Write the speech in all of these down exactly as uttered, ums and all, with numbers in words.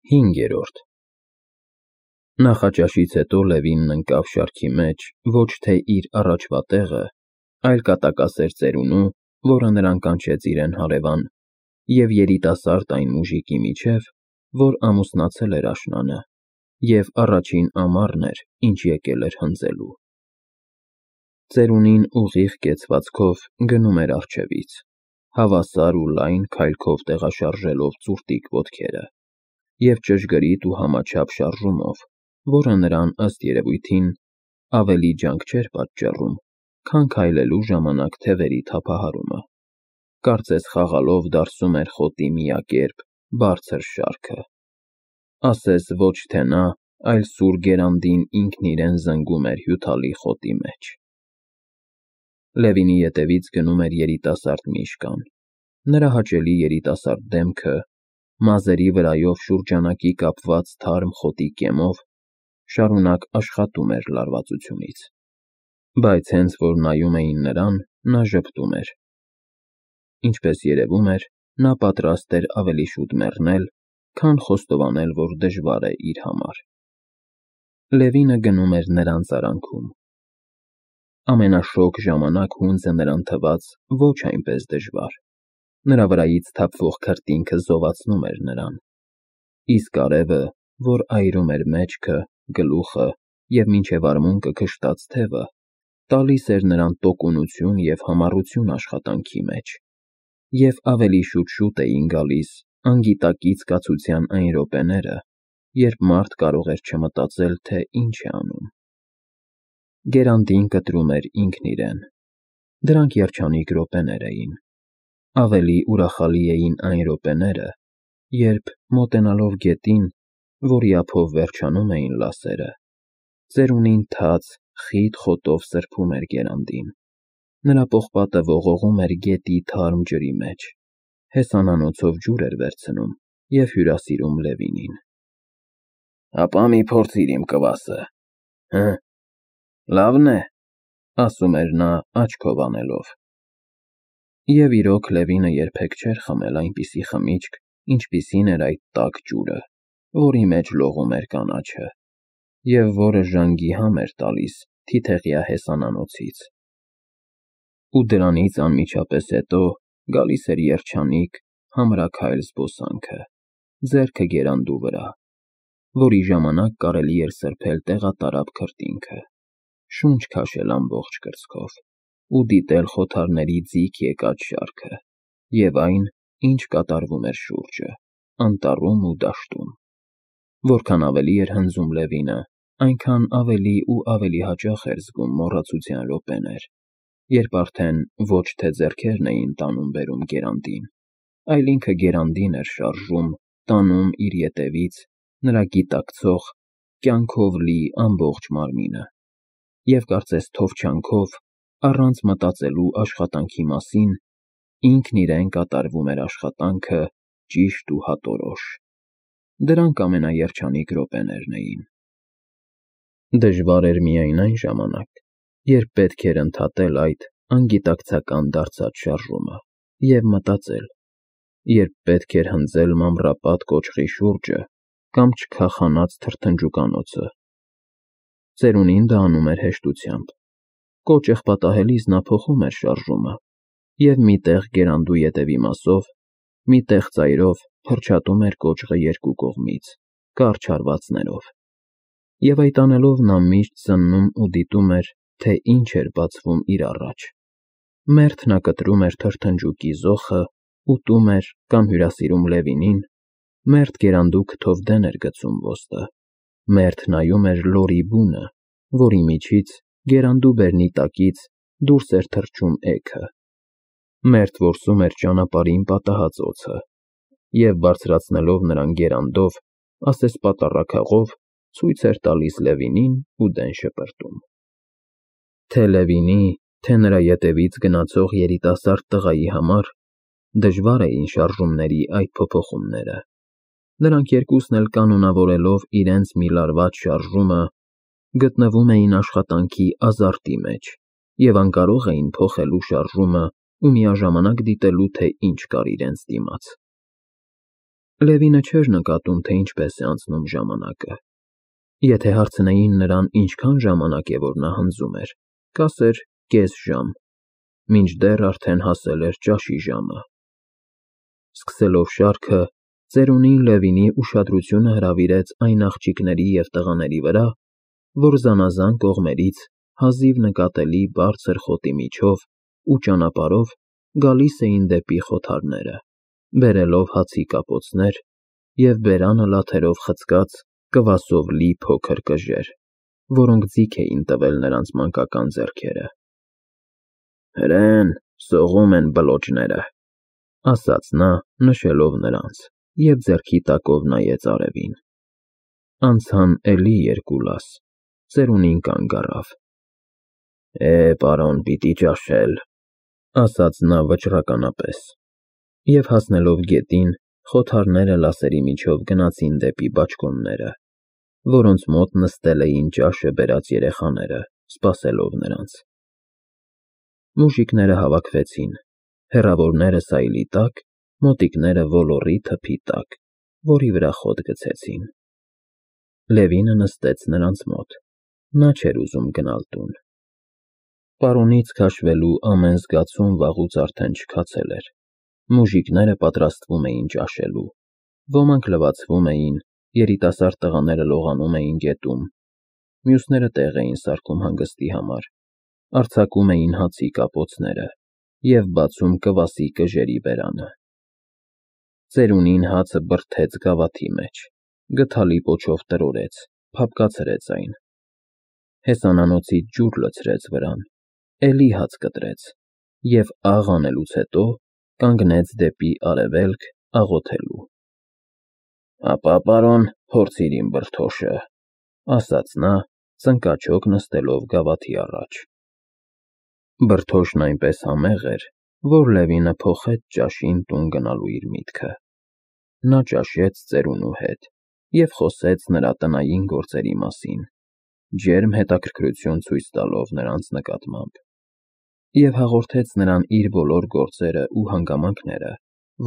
Հինգերորդ Նախաճաշից հետո Լևինն ընկավ շարքի մեջ ոչ թե իր առաջվա տեղը, այլ կատակասեր ծերունու, որը նրան կանչեց իրեն հարևան, և երիտասարդ այն մուժիկի միջև, որ ամուսնացել էր աշնանը, և առաջին ամառն էր, ինչ եկել էր հնձելու։ Ծերունին ուղիղ կեցվածքով գնում էր առջևից, հավասար ու լայն քայլքով տեղաշարժելով ծուռտիկ ոտքերը և ճշգրիտ ու համաչափ շարժումով, որը նրան, ըստ երևույթին, ավելի ջանք չէր պատճառում, քան քայլելու ժամանակ թևերի թափահարումը, կարծես խաղալով դարսում էր խոտի միակերպ, բարձր շարքը։ Ասես ոչ թե նա, այլ սուր գերանդին ինքն իրեն զնգում էր հյութալի խոտի մեջ։ Լևինի ետևից գնում էր երիտասարդ միշկան։ Նրա հաճելի երիտասարդ դեմքը, մազերի վրայով շուրջանակի կապված թարմ խոտի կեմով, շարունակ աշխատում էր լարվածությունից, բայց հենց որ նայում էին նրան, նա ժպտում էր։ Ինչպես երևում էր, նա պատրաստ էր ավելի շուտ մեռնել, քան խոստովանել, որ դժվար է իր համար։ Լևինը գնում էր նրանց արանքում։ Ամենաշոգ ժամանակ հունձը նրան թվաց ոչ այնպես դժվար։ Նրա վրայից թափվող քրտինքը զովացնում էր նրան, իսկ արևը, որ այրում էր մեջքը, գլուխը և մինչև արմունկը քշտած թևը, տալիս էր նրան տոկունություն և համառություն աշխատանքի մեջ, և ավելի շուտ-շուտ էին գալիս անգիտակից կացության այն րոպեները, երբ մարդ կարող էր չմտածել, թե ինչ է անում։ Գերանդին կտրում էր ինքն իրեն։ Դրանք երջանիկ րոպեներ էին։ Ավելի ուրախալի էին այն րոպեները, երբ, մոտենալով գետին, որի ափով վերջանում էին լասերը, ծերունին թաց, խիտ խոտով սրբում էր գերանդին։ Նրա պողպատը ողողում էր գետի թարմ ջրի մեջ, հեսանանոցով ջուր էր վերցնում և հյուրասիրում Լևինին։ «Հապա մի փորձիր իմ կվասը, հը՞, լավն է», ասում էր նա աչքով անելով։ Եվ իրոք Լևինը երբեք չէր խմել այնպիսի խմիչք, ինչպիսին էր այդ տաք ջուրը, որի մեջ լողում էր կանաչը, և որը ժանգի համ էր տալիս թիթեղյա հեսանանոցից։ Ու դրանից անմիջապես հետո գալիս էր երջանիկ, համրաքայլ զբոսանքը, ձեռքը գերանդու վրա, որի ժամանակ կարելի էր սրբել տեղատարափ քրտինքը, շունչ քաշել ամբողջ կրծքով ու դիտել խոթարների ձիգ եկած շարքը և այն, ինչ կատարվում էր շուրջը, անտառում ու դաշտում։ Որքան ավելի էր հնձում Լևինը, այնքան ավելի ու ավելի հաճախ էր զգում մոռացության րոպեներ, երբ արդեն ոչ թե ձեռքերն էին տանում֊բերում գերանդին, այլ ինքը գերանդին էր շարժում, տանում իր ետևից նրա գիտակցող, կյանքով լի ամբողջ մարմինը, և կարծես թովչյանքով, առանց մտածելու աշխատանքի մասին, ինքն իրեն կատարվում էր աշխատանքը ճիշտ ու հատորոշ։ Դրանք ամենաերջանիկ րոպեներն էին։ Դժվար էր միայն այն ժամանակ, երբ պետք էր ընդհատել այդ անգիտակցական դարձած շարժումը և մտածել, երբ պետք էր հնձել մամռապատ կոճղի շուրջը կամ չքախանած թրթնջուկանոցը։ Ծերունին դա անում էր հեշտությամբ։ Կոճղ պատահելիս նա փոխում էր շարժումը և մի տեղ գերանդու ետևի մասով, մի տեղ ծայրով փռչատում էր կոճղը երկու կողմից, կարճ հարվածներով, և այդ անելով նա միշտ զննում ու դիտում էր, թե ինչ էր բացվում իր առաջ։ Մերթ նա կտրում էր թրթնջուկի զոխը, ուտում էր կամ հյուրասիրում Լևինին, մերթ գերանդու քթով դեն էր գցում ոսტը, մերթ նայում էր լորի բունը, որի միջից, գերանդու բերնի տակից, դուրս էր թռչում էգը, մերթ որսում էր ճանապարհին պատահած օձը և, բարձրացնելով նրան գերանդով, ասես պատառաքաղով, ցույց էր տալիս Լևինին ու դեն շպրտում։ Թե Լևինի, թե նրա ետևից գնացող երիտասարդ տղայի համար դժվար էին շարժումների այդ փոփոխումները։ Նրանք երկուսն էլ կանոնավորելով իրենց մի լարված շարժումը, գտնվում էին աշխատանքի ազարտի մեջ և անկարող էին փոխելու շարժումը ու միաժամանակ դիտելու, թե ինչ կար իրենց դիմաց։ Լևինը չէր նկատում, թե ինչպես է անցնում ժամանակը։ Եթե հարցնեին նրան, ինչքան ժամանակ է, որ նա հնձում էր, կասեր կես ժամ, մինչդեռ արդեն հասել էր ճաշի ժամը։ Սկսելով շարքը, ծերունին Լևինի ուշադրությունը հրավիրեց այն աղջիկների և տղաների վրա, որ զանազան կողմերից հազիվ նկատելի բարձր խոտի միջով ու ճանապարհով գալիս էին դեպի խոթարները, բերելով հացի կապոցներ և բերանը լաթերով խցկած կվասով լի փոքր կժեր, որոնք ձիգ էին տվել նրանց մանկական ձեռքերը։ «Հրեն, սողում են բլոճները», ֊ ասաց նա, նշելով նրանց, և ձեռքի տակով նայեց արևին։ Անցան էլի երկու լաս, ծերունին կանգ առավ։ «Է, պարոն, պիտի ճաշել», ֊ ասաց նա վճռականապես, և հասնելով գետին, խոթարները լասերի միջով գնացին դեպի բաճկոնները, որոնց մոտ նստել էին ճաշը բերած երեխաները, սպասելով նրանց։ Մուժիկները հավաքվեցին, հեռավորները սայլի տակ, մոտիկները ոլորի թփի տակ, որի վրա խոտ գցեցին։ Լևինը նստեց նրանց մոտ, նա չէր ուզում գնալ տուն։ Պարոնից քաշվելու ամեն զգացում վաղուց արդեն չքացել էր։ Մուժիկները պատրաստվում էին ճաշելու, ոմանք լվացվում էին, երիտասարդ տղաները լողանում էին գետում, մյուսները տեղ էին սարքում հանգստի համար, արձակում էին հացի կապոցները և բացում կվասի կժերի բերանը։ Ծերունին հացը բրդեց գավաթի մեջ, գդալի պոչով տրորեց, փափկացրեց այն, հեսանանոցից ջուր լցրեց վրան, էլի հաց կտրեց և աղ անելուց հետո կանգնեց դեպի արևելք աղոթելու։ «Ապա, պարոն, փորձիր իմ բրդոշը», ֊ ասաց նա, ծնկաչոք նստելով գավաթի առաջ։ Բրդոշն այնպես համեղ էր, որ Լևինը փոխեց ճաշին տուն գնալու իր միտքը։ Նա ճաշեց ծերունու հետ և խոսեց նրա տնային գործերի մասին, ջերմ հետաքրքրություն ցույց տալով նրանց նկատմամբ, և հաղորդեց նրան իր բոլոր գործերն ու հանգամանքները,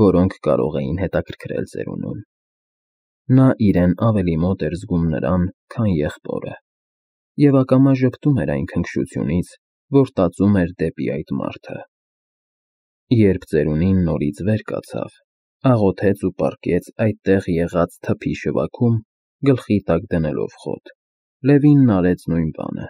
որոնք կարող էին հետաքրքրել ծերունուն։ Նա իրեն ավելի մոտ էր զգում նրան, քան եղբորը, և ակամա ժպտում էր այն քնքշությունից, որ տածում էր դեպի այդ մարդը։ Երբ ծերունին նորից վեր կացավ, աղոթեց ու պառկեց այդտեղ եղած թփի շվաքում, գլխի տակ դնելով խոտ, Լևինն արեց նույն բանը։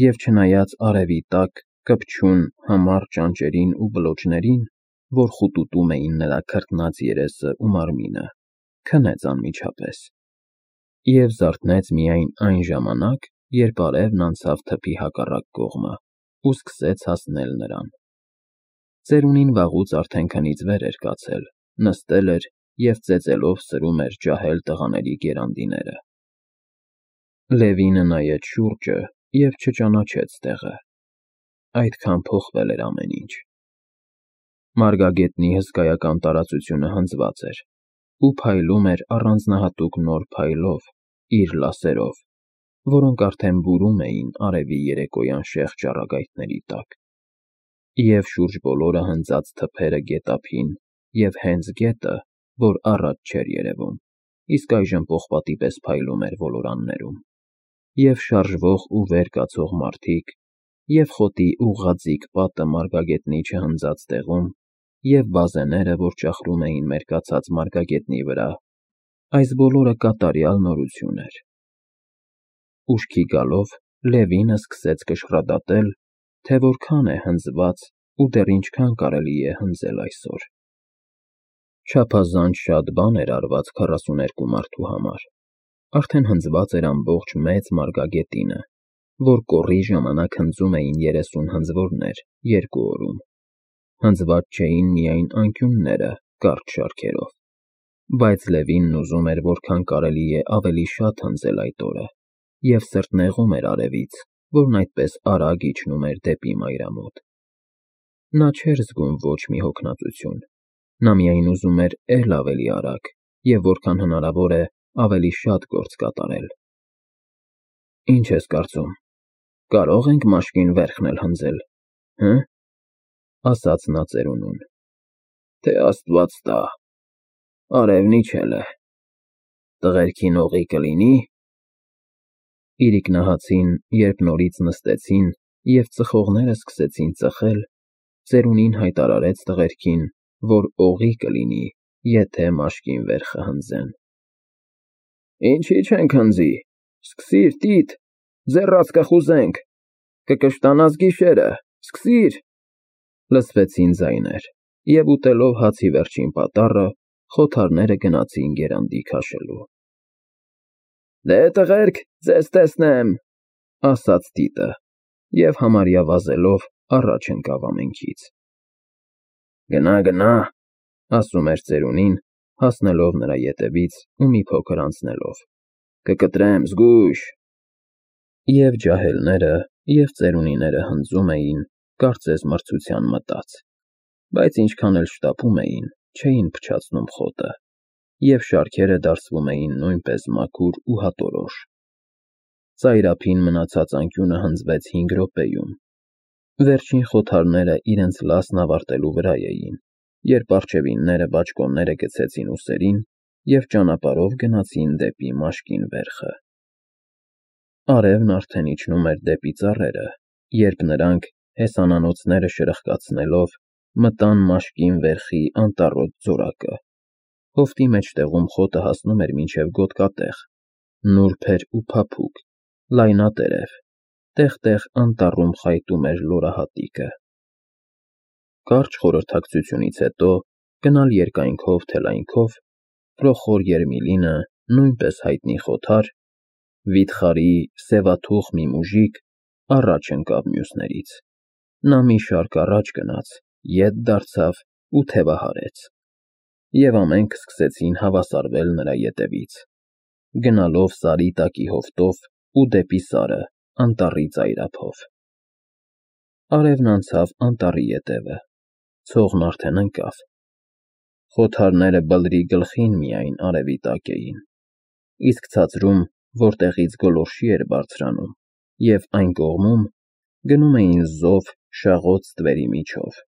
Եվ չնայած արևի տակ կպչուն համառ ճանճերին ու բլոճներին, որ խուտուտում էին նրա քրտնած երեսն ու մարմինը, քնեց անմիջապես և զարթնեց միայն այն ժամանակ, երբ արևն անցավ թփի հակառակ կողմը ու սկսեց հասնել նրան։ Ծերունին վաղուց արդեն քնից վեր էր կացել, նստել էր և ծեծելով սրում էր ջահել տղաների գերանդիները։ Լևինը նայեց շուրջը և չճանաչեց տեղը։ Այդքան փոխվել էր ամեն ինչ։ Մարգագետնի հսկայական տարածությունը հնձված էր ու փայլում էր առանձնահատուկ նոր փայլով, իր լասերով, որոնք արդեն բուրում էին արևի երեկոյան շեղ ճառագայթների տակ, և շուրջ բոլորը հնձած թփերը գետափին և հենց գետը, որ առաջ չէր երևում, իսկ այժմ պողպատի պես փայլում էր ոլորաններում, և շարժվող ու վեր կացող մարդիկ, և խոտի ուղղաձիգ պատը մարգագետնի չհնձած տեղում, և բազեները, որ ճախրում էին մերկացած մարգագետնի վրա, այս բոլորը կատարյալ նորություն էր։ Ուշքի գալով Լևինը սկսեց կշռադատել, թե որքան է հնձված ու դեռ ինչքան կարելի է հնձել այսօր։ Չափազանց շատ բան էր արված քառասուներկու մարդու համար, արդեն հնձված էր ամբողջ մեծ մարգագետինը, որ կոռի ժամանակ հնձում էին երեսուն հնձվորներ երկու օրում։ Հնձված չէին միայն անկյունները կարճ շարքերով, բայց Լևինն ուզում էր որքան կարելի է ավելի շատ հնձել այդ օրը, և սրտնեղում էր արևից, որն այդպես արագ իջնում էր դեպի մայրամոտ։ Նա չէր զգում ոչ մի հոգնածություն, նա միայն ուզում էր էլ ավելի արագ և որքան հնարավոր է ավելի շատ գործ կատարել։ «Ինչ ես կարծում, կարո՞ղ ենք մաշկին վերքն էլ հնձել, հը՞, ֊ ասաց նա ծերունուն։ «Թե Աստված տա», Արևն իջել է։ Տղերքին օղի կլինի՞։ Իրիկնահացին, երբ նորից նստեցին և ծխողները սկսեցին ծխել, ծերունին հայտարարեց տղերքին, որ օղի կլինի, եթե մաշկին վեր խհանձեն։ Ինչի՞ չենք հնձի, սկսի՛ր, Տիտ, ձեռաց կխուզենք, կկշտանաս գիշերը, սկսի՛ր, լսվեցին ձայներ, և ուտելով հացի վերջին պատառը, խոթարները գնացին գերանդի քաշելու։ Դե, տղերք, ձեզ տեսնեմ, ասաց Տիտը, և համարյա վազելով առաջ ընկավ ամենքից։ Գնա, գնա, ասում էր ծերունին, հասնելով նրա ետևից ու մի փոքր անցնելով, կկտրեմ, զգույշ։ Եվ ջահելները, և ծերունիները հնձում էին, կարծես մրցության մտած, բայց ինչքան էլ շտապում էին, չէին փչացնում խոտը, և շարքերը դարսվում էին նույնպես մաքուր ու հատորոշ։ Ծայրափին մնացած անկյունը հնձվեց հինգ րոպեում։ Վերջին խոթարները իրենց լասն ավարտելու վրա էին, երբ առջևինները բաճկոնները գցեցին ուսերին և ճանապարհով գնացին դեպի մաշկին վերխը։ Արևն արդեն իջնում էր դեպի ծառերը, երբ նրանք, հեսանանոցները շրխկացնելով, մտան մաշկին վերխի անտառոտ ձորակը։ Հովտի մեջտեղում խոտը հասնում էր մինչև գոտկատեղ, նուրբ էր ու փափուկ, լայնատերև, տեղ֊տեղ անտառում խայտում էր լորահատիկը։ Կարճ խորհրդակցությունից հետո, գնալ երկայնքով, թե լայնքով, Պրոխոր Երմիլինը, նույնպես հայտնի խոթար, վիթխարի, սևաթուխ մի մուժիկ, առաջ ընկավ մյուսներից։ Նա մի շարք առաջ գնաց, ետ դարձավ ու թևահարեց։ Եվ ամենք սկսեցին հավասարվել նրա ետևից, գնալով Սարի տակի հովտով ու դեպի Սարը, անտառի ծայրափով։ Արևն անցավ անտառի ետևը, ցողն արդեն ընկավ։ Խոթարները բլրի գլխին միայն արևի տակ էին, իսկ ցածրում, որտեղից գոլորշի էր բարձրանում, և այն կողմում գնում էին զով, շաղոց ստվերի միջով։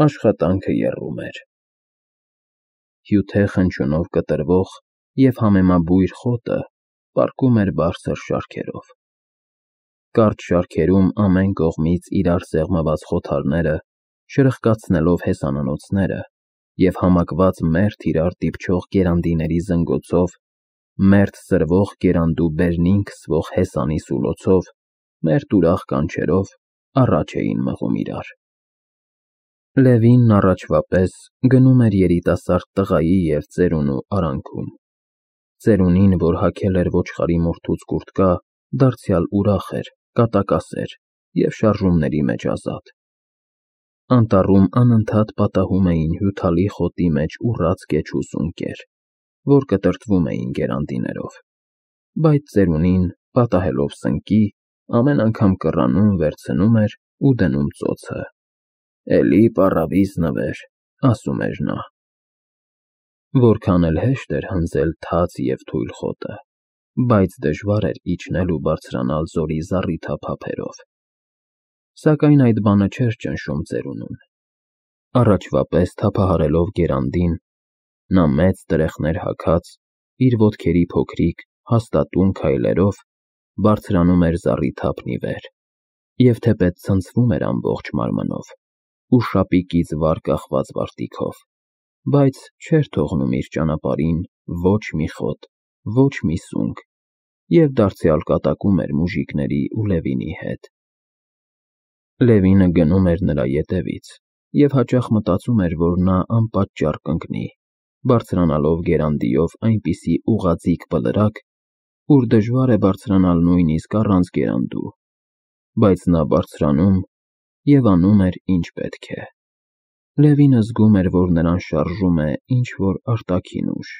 Աշխատանքը եռում էր։ Հյութե խնչյունով կտրվող և համեմաբույր խոտը պառկում էր բարձր շարքերով։ Կարճ շարքերում ամեն կողմից իրար սեղմված խոթարները, շրխկացնելով հեսանանոցները և համակված մերթ իրար դիպչող գերանդիների զնգոցով, մերթ սրվող գերանդու բերնին քսվող հեսանի սուլոցով, մերթ ուրախ կանչերով առաջ էին մղում իրար։ Լևինն առաջվա պես գնում էր երիտասարդ տղայի և ծերունու արանքում։ Ծերունին, որ հագել էր ոչխարի մորթուց կուրտկա, դարձյալ ուրախ էր, կատակասեր և շարժումների մեջ ազատ։ Անտառում անընդհատ պատահում էին հյութալի խոտի մեջ ուռած կեչ ու սունկեր, որ կտրտվում էին գերանդիներով, բայց ծերունին, պատահելով սնկի, ամեն անգամ կռանում վերցնում էր ու դնում ծոցը։ Էլի պառավիզ նվեր, ասում էր նա։ Որքան էլ հեշտ էր հնձել թաց և թույլ խոտը, բայց դժվար էր իջնել ու բարձրանալ ձորի զառիթափ ափերով։ Սակայն այդ բանը չէր ճնշում ծերունուն։ Առաջվա պես թափահարելով գերանդին, նա մեծ տրեխներ հագած, իր ոտքերի փոքրիկ, հաստատուն քայլերով բարձրանում էր զառիթափն ի վեր, և թեպետ ցնցվում էր ամբողջ մարմնով ու շապիկից վար կախված վարտիքով, բայց չէր թողնում իր ճանապարհին ոչ մի խոտ, ոչ մի սունկ, և դարձյալ կատակում էր մուժիկների ու Լևինի հետ։ Լևինը գնում էր նրա ետևից և հաճախ մտածում էր, որ նա անպատճառ կընկնի, բարձրանալով գերանդիով այնպիսի ուղղաձիգ բլրակ, ուր դժվար է բարձրանալ նույնիսկ առանց գերանդու, բայց նա բարձրանում և անում էր, ինչ պետք է։ Լևինը զգում էր, որ նրան շարժում է ինչ֊որ արտաքին ուժ,